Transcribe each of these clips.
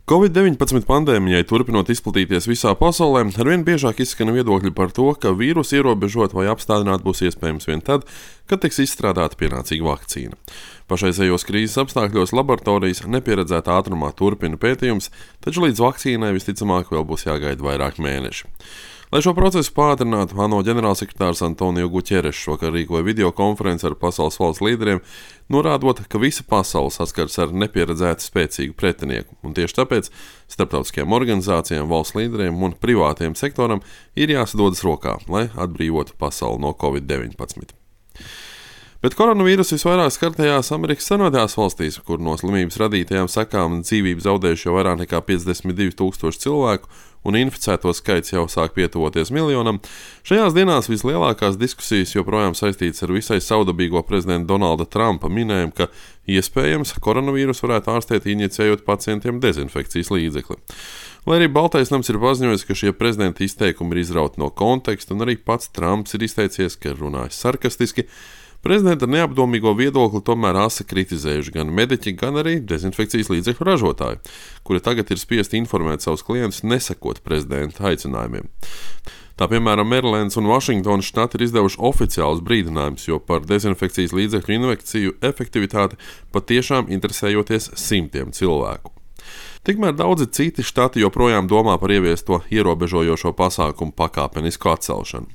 Covid-19 pandēmijai turpinot izplatīties visā pasaulē, arvien biežāk izskan viedokļi par to, ka vīrusu ierobežot vai apstādināt būs iespējams vien tad, kad tiks izstrādāta pienācīga vakcīna. Pašreizējos krīzes apstākļos laboratorijas nepieredzētā ātrumā turpina pētījums, taču līdz vakcīnai visticamāk vēl būs jāgaida vairāk mēneši. Lai šo procesu pātrinātu, ANO ģenerālsekretārs Antonio Guterres šovakar rīkoja videokonferenci ar pasaules valsts līderiem, norādot, ka visa pasaule saskars ar nepieredzētu spēcīgu pretinieku, un tieši tāpēc starptautiskajām organizācijām, valsts līderiem un privātajam sektoram ir jāsadodas rokā, lai atbrīvotu pasauli no Covid-19. Bet koronavīruss visvairāk skartajās Amerikas Savienotajās valstīs, kur no slimības radītajām sekām dzīvību zaudējuši jau vairāk nekā 52,000 cilvēku, un inficēto skaits jau sāk pietuvoties miljonam, šajās dienās vislielākās diskusijas joprojām saistītas ar visai saudabīgo prezidenta Donalda Trumpa minējumu, ka iespējams koronavīrus varētu ārstēt injicējot pacientiem dezinfekcijas līdzekli. Lai arī Baltais nams ir paziņojis, ka šie prezidenta izteikumi ir izrauti no konteksta, un arī pats Trumps ir izteicies, ka runājis sarkastiski, prezidenta neapdomīgo viedokli tomēr asi kritizējuši gan mediķi, gan arī dezinfekcijas līdzekļu ražotāji, kuri tagad ir spiesti informēt savus klientus nesekot prezidenta aicinājumiem. Tā piemēram, Merilēns un Vašingtonas štati ir izdevuši oficiālus brīdinājumus, jo par dezinfekcijas līdzekļu injekciju efektivitāti patiešām interesējoties simtiem cilvēku. Tikmēr daudzi citi štati joprojām domā par ieviesto ierobežojošo pasākumu pakāpenisku atcelšanu.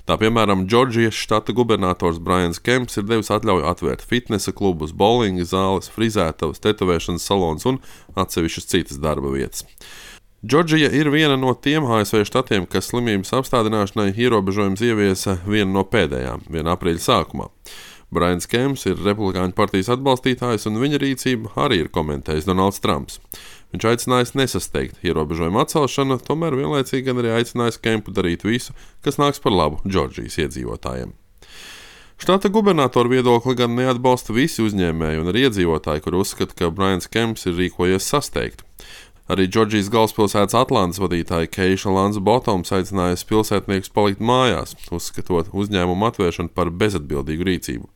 Tā piemēram, Džordžijas štata gubernators Brians Kemps ir devis atļauju atvērt fitnesa klubus, bowlinga zāles, frizētavas, tetovēšanas salons un atsevišķas citas darba vietas. Džordžija ir viena no tiem ASV štatiem, kas slimības apstādināšanai ierobežojums ieviesa viena no pēdējām, 1. aprīļa sākumā. Brians Kemps ir Republikāņu partijas atbalstītājs, un viņa rīcību arī ir komentējis Donalds Trumps. Viņš aicinājis nesasteigt ierobežojumu atcelšanu, tomēr vienlaicīgi gan arī aicinājis Kempu darīt visu, kas nāks par labu Džordžijas iedzīvotājiem. Štata gubernatora viedokli gan neatbalsta visi uzņēmēji un arī iedzīvotāji, kur uzskata, ka Brians Kemps ir rīkojies sasteigt. Arī Džordžijas galvaspilsētas Atlantas vadītāja Keisha Lance Bottoms aicinājusi pilsētniekus palikt mājās, uzskatot uzņēmumu atvēršanu par bezatbildīgu rīcību.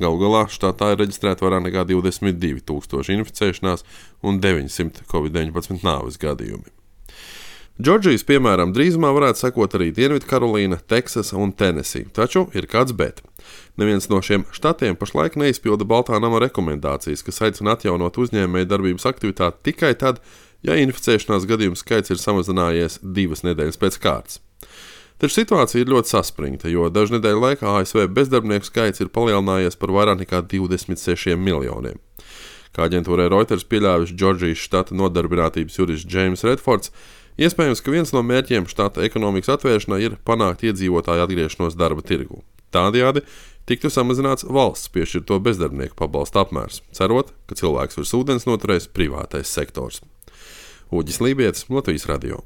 Galu galā štatā ir reģistrēta vairāk nekā 22,000 inficēšanās un 900 Covid-19 nāves gadījumi. Džordžijas piemēram drīzumā varētu sekot arī Dienvidkarolīna, Teksasa un Tenesija, taču ir kāds bet. Neviens no šiem štatiem pašlaik neizpilda Baltā nama rekomendācijas, kas aicina atjaunot uzņēmēju darbības aktivitāti tikai tad, ja inficēšanās gadījumu skaits ir samazinājies 2 nedēļas pēc kārtas. Taču situācija ir ļoti saspringta, jo dažu nedēļu laikā ASV bezdarbnieku skaits ir palielinājies par vairāk nekā 26 miljoniem. Kā aģentūrai Reuters pieļāvis Džordžijas štata nodarbinātības jurists James Redfords, iespējams, ka viens no mērķiem štata ekonomikas atvēršanai ir panākt iedzīvotāju atgriešanos darba tirgū. Tādējādi tiktu samazināts valsts piešķirto bezdarbnieku pabalsta apmērs, cerot, ka cilvēks virs ūdens noturēs privātais sektors. Uģis Lībietis, Latvijas radio.